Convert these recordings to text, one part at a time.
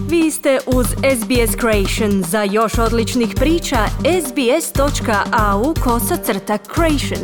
Vi ste uz SBS Creation. Za još odličnih priča, sbs.au/creation.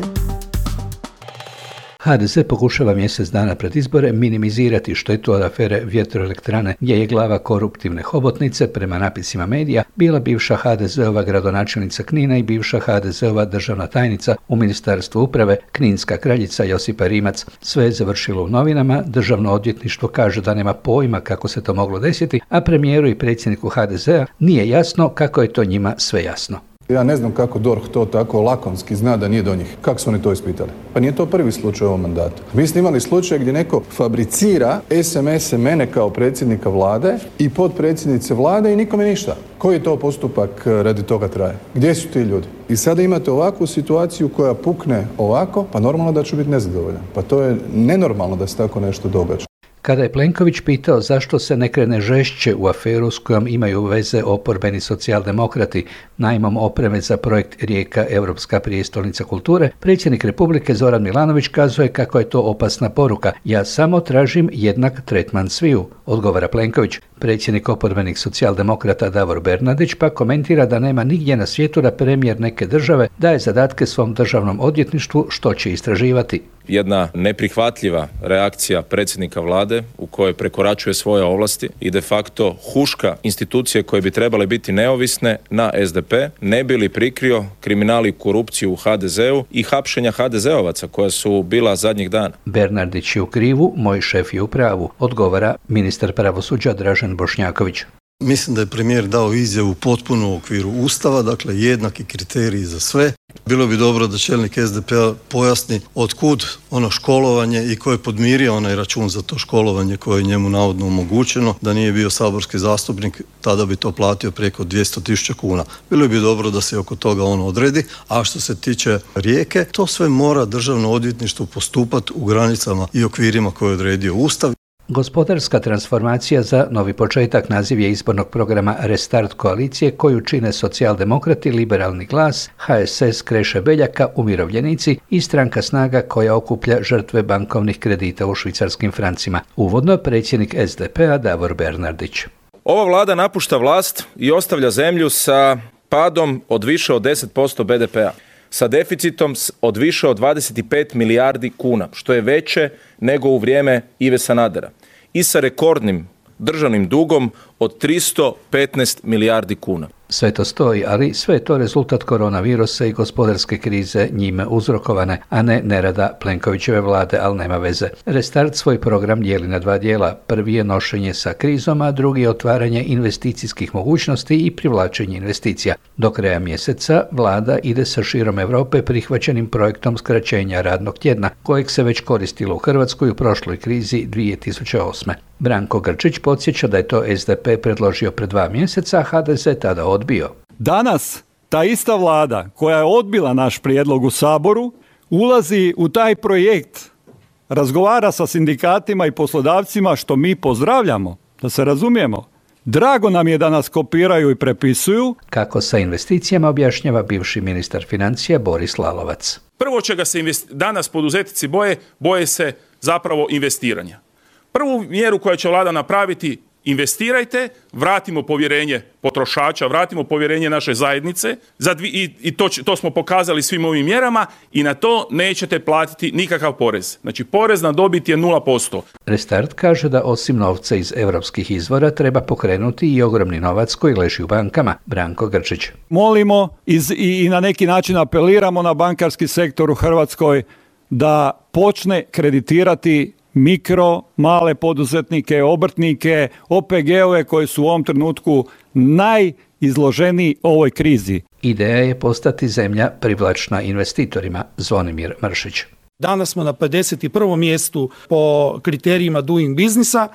HDZ pokušava mjesec dana pred izbore minimizirati štetu od afere vjetroelektrane, gdje je glava koruptivne hobotnice, prema napisima medija, bila bivša HDZ-ova gradonačelnica Knina i bivša HDZ-ova državna tajnica u Ministarstvu uprave, kninska kraljica Josipa Rimac. Sve je završilo u novinama, Državno odvjetništvo kaže da nema pojma kako se to moglo desiti, a premijeru i predsjedniku HDZ-a nije jasno kako je to njima sve jasno. Ja ne znam kako DORH to tako lakonski zna da nije do njih. Kako su oni to ispitali? Pa nije to prvi slučaj u ovom mandatu. Vi ste imali slučaj gdje neko fabricira SMS-e mene kao predsjednika vlade i potpredsjednice vlade i nikome ništa. Koji to postupak radi toga traje? Gdje su ti ljudi? I sada imate ovakvu situaciju koja pukne ovako, pa normalno da ću biti nezadovoljan. Pa to je nenormalno da se tako nešto događa. Kada je Plenković pitao zašto se ne krene žešće u aferu s kojom imaju veze oporbeni socijaldemokrati najmom opreme za projekt Rijeka Europska prijestolnica kulture, predsjednik Republike Zoran Milanović kazuje kako je to opasna poruka. Ja samo tražim jednak tretman sviju, odgovara Plenković. Predsjednik oporbenih socijaldemokrata Davor Bernardić pa komentira da nema nigdje na svijetu da premijer neke države daje zadatke svom državnom odvjetništvu što će istraživati. Jedna neprihvatljiva reakcija predsjednika vlade u kojoj prekoračuje svoje ovlasti i de facto huška institucije koje bi trebale biti neovisne na SDP, ne bi li prikrio kriminal i korupciju u HDZ-u i hapšenja HDZ-ovaca koja su bila zadnjih dana. Bernardić je u krivu, moj šef je u pravu, odgovara ministar pravosuđa Dražen Bošnjaković. Mislim da je premijer dao izjavu potpuno u okviru Ustava, dakle jednaki kriteriji za sve. Bilo bi dobro da čelnik SDP-a pojasni otkud ono školovanje i ko je podmirio onaj račun za to školovanje koje je njemu navodno omogućeno. Da nije bio saborski zastupnik, tada bi to platio preko 200.000 kuna. Bilo bi dobro da se oko toga on odredi, a što se tiče Rijeke, to sve mora državno odvjetništvo postupati u granicama i okvirima koje je odredio Ustav. Gospodarska transformacija za novi početak naziv je izbornog programa Restart koalicije koju čine socijaldemokrati, Liberalni glas, HSS Kreše Beljaka, Umirovljenici i stranka Snaga koja okuplja žrtve bankovnih kredita u švicarskim francima. Uvodno predsjednik SDP-a Davor Bernardić. Ova vlada napušta vlast i ostavlja zemlju sa padom od više od 10% BDP-a. Sa deficitom od više od 25 milijardi kuna, što je veće nego u vrijeme Ive Sanadera. I sa rekordnim državnim dugom od 315 milijardi kuna. Sve to stoji, ali sve je to rezultat koronavirusa i gospodarske krize njime uzrokovane, a ne nerada Plenkovićeve vlade, ali nema veze. Restart svoj program dijeli na dva dijela. Prvi je nošenje sa krizom, a drugi je otvaranje investicijskih mogućnosti i privlačenje investicija. Do kraja mjeseca vlada ide sa širom Europe prihvaćenim projektom skraćenja radnog tjedna, kojeg se već koristilo u Hrvatskoj u prošloj krizi 2008. Branko Grčić podsjeća da je to SDP predložio pred 2 mjeseca, a HDZ tada odbio. Danas ta ista vlada koja je odbila naš prijedlog u Saboru ulazi u taj projekt, razgovara sa sindikatima i poslodavcima, što mi pozdravljamo, da se razumijemo. Drago nam je da nas kopiraju i prepisuju. Kako sa investicijama objašnjava bivši ministar financija Boris Lalovac. Prvo čega se danas poduzetnici boje se zapravo investiranja. Prvu mjeru koju će vlada napraviti, investirajte, vratimo povjerenje potrošača, vratimo povjerenje naše zajednice i to smo pokazali svim ovim mjerama i na to nećete platiti nikakav porez. Znači porez na dobit je 0%. Restart kaže da osim novca iz europskih izvora treba pokrenuti i ogromni novac koji leži u bankama. Branko Grčić. Molimo i na neki način apeliramo na bankarski sektor u Hrvatskoj da počne kreditirati mikro, male poduzetnike, obrtnike, OPG-ove koji su u ovom trenutku najizloženiji ovoj krizi. Ideja je postati zemlja privlačna investitorima. Zvonimir Mršić. Danas smo na 51. mjestu po kriterijima Doing Businessa.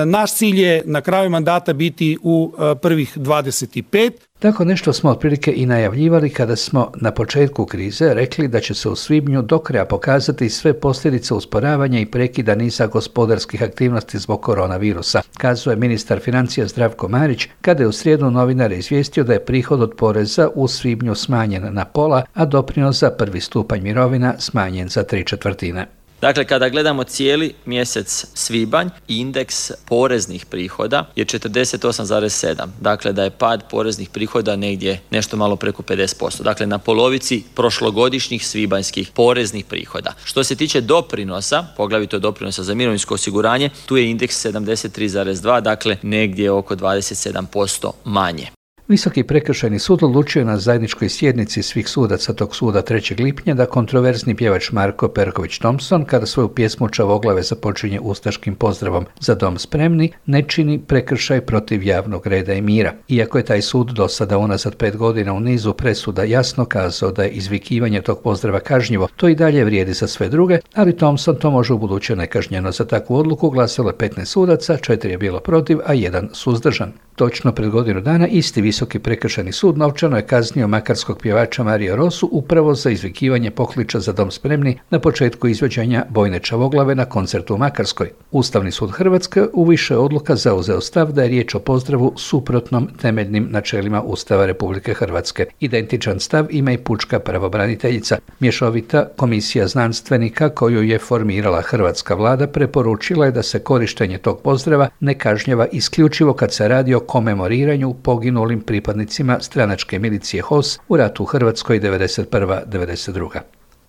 Naš cilj je na kraju mandata biti u prvih 25. Tako nešto smo otprilike i najavljivali kada smo na početku krize rekli da će se u svibnju do kraja pokazati sve posljedice usporavanja i prekida niza gospodarskih aktivnosti zbog koronavirusa, kazuje ministar financija Zdravko Marić kada je u srijedu novinare izvijestio da je prihod od poreza u svibnju smanjen na pola, a doprinos za prvi stupanj mirovina smanjen za 3/4. Dakle, kada gledamo cijeli mjesec svibanj, indeks poreznih prihoda je 48,7. Dakle, da je pad poreznih prihoda negdje nešto malo preko 50%. Dakle, na polovici prošlogodišnjih svibanjskih poreznih prihoda. Što se tiče doprinosa, poglavito doprinosa za mirovinsko osiguranje, tu je indeks 73,2, dakle negdje oko 27% manje. Visoki prekršajni sud odlučio na zajedničkoj sjednici svih sudaca tog suda 3. lipnja da kontroverzni pjevač Marko Perković Thompson, kada svoju pjesmu Čavoglave započinje ustaškim pozdravom Za dom spremni, ne čini prekršaj protiv javnog reda i mira. Iako je taj sud do sada unazad 5 godina u nizu presuda jasno kazao da je izvikivanje tog pozdrava kažnjivo, to i dalje vrijedi za sve druge, ali Thompson to može ubuduće nekažnjeno. Za takvu odluku glasalo je 15 sudaca, 4 je bilo protiv, a 1 suzdržan. Točno pred godinu dana isti Visoki prekršajni sud novčano je kaznio makarskog pjevača Marija Rosu upravo za izvikivanje pokliča Za dom spremni na početku izvođenja Bojne Čavoglave na koncertu u Makarskoj. Ustavni sud Hrvatske u više odluka zauzeo stav da je riječ o pozdravu suprotnom temeljnim načelima Ustava Republike Hrvatske. Identičan stav ima i pučka pravobraniteljica. Mješovita komisija znanstvenika koju je formirala hrvatska vlada preporučila je da se korištenje tog pozdrava ne kažnjava isključivo kad se radi o komemoriranju poginulim pripadnicima stranačke milicije HOS u ratu u Hrvatskoj 1991-1992.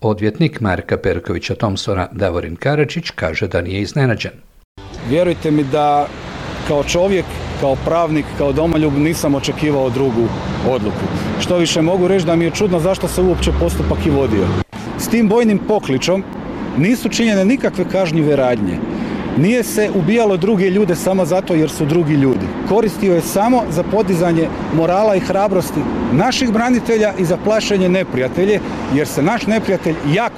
Odvjetnik Marka Perkovića Thompsona Davorin Karačić kaže da nije iznenađen. Vjerujte mi da kao čovjek, kao pravnik, kao domoljub nisam očekivao drugu odluku. Što više mogu reći da mi je čudno zašto se uopće postupak i vodio. S tim bojnim pokličom nisu činjene nikakve kažnjive radnje. Nije se ubijalo druge ljude samo zato jer su drugi ljudi. Koristio je samo za podizanje morala i hrabrosti naših branitelja i za plašenje neprijatelje, jer se naš neprijatelj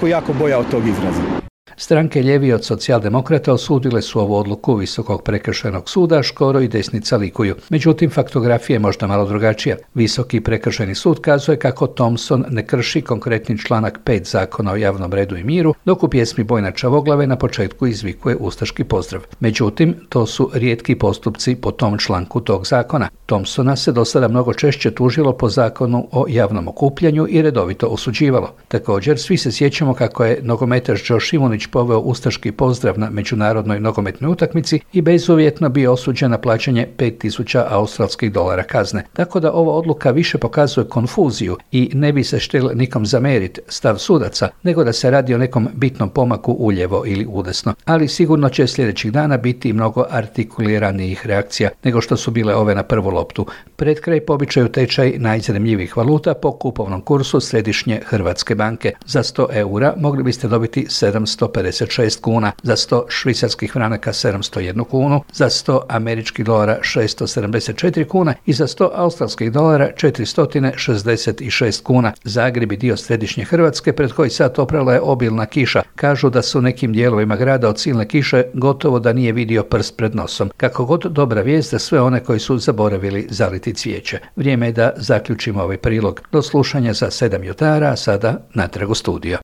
jako bojao tog izraza. Stranke lijevi od socijaldemokrata osudile su ovu odluku Visokog prekršajnog suda, Škoro i desnica likuju. Međutim, faktografija je možda malo drugačija. Visoki prekršajni sud kazuje kako Thompson ne krši konkretni članak 5 Zakona o javnom redu i miru, dok u pjesmi Bojna Čavoglave na početku izvikuje ustaški pozdrav. Međutim, to su rijetki postupci po tom članku tog zakona. Thompsona se do sada mnogo češće tužilo po Zakonu o javnom okupljanju i redovito osuđivalo. Također, svi se sjećamo kako je nogometaš Joe Šimunić poveo ustaški pozdrav na međunarodnoj nogometnoj utakmici i bezuvjetno bio osuđen na plaćanje $5.000 australskih kazne. Tako da ova odluka više pokazuje konfuziju i ne bi se štel nikom zameriti stav sudaca, nego da se radi o nekom bitnom pomaku uljevo ili udesno. Ali sigurno će sljedećih dana biti mnogo artikuliranijih reakcija nego što su bile ove na prvu loptu. Pred kraj po običaju tečaj najzanimljivijih valuta po kupovnom kursu Središnje Hrvatske banke. Za 100 eura mogli biste dobiti 756 kuna, za 100 švicarskih franaka 701 kunu, za 100 američkih dolara 674 kuna i za 100 australskih dolara 466 kuna. Zagreb i dio Središnje Hrvatske pred koji sat oprala je obilna kiša. Kažu da su u nekim dijelovima grada od silne kiše gotovo da nije vidio prst pred nosom. Kako god dobra vijest za sve one koji su zaboravili zaliti cvijeće. Vrijeme je da zaključimo ovaj prilog. Do slušanja za 7 jutara, a sada natrag u studio.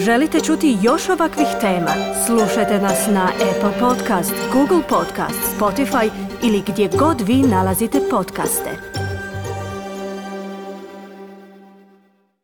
Želite čuti još ovakvih tema? Slušajte nas na Apple Podcast, Google Podcast, Spotify ili gdje god vi nalazite podcaste.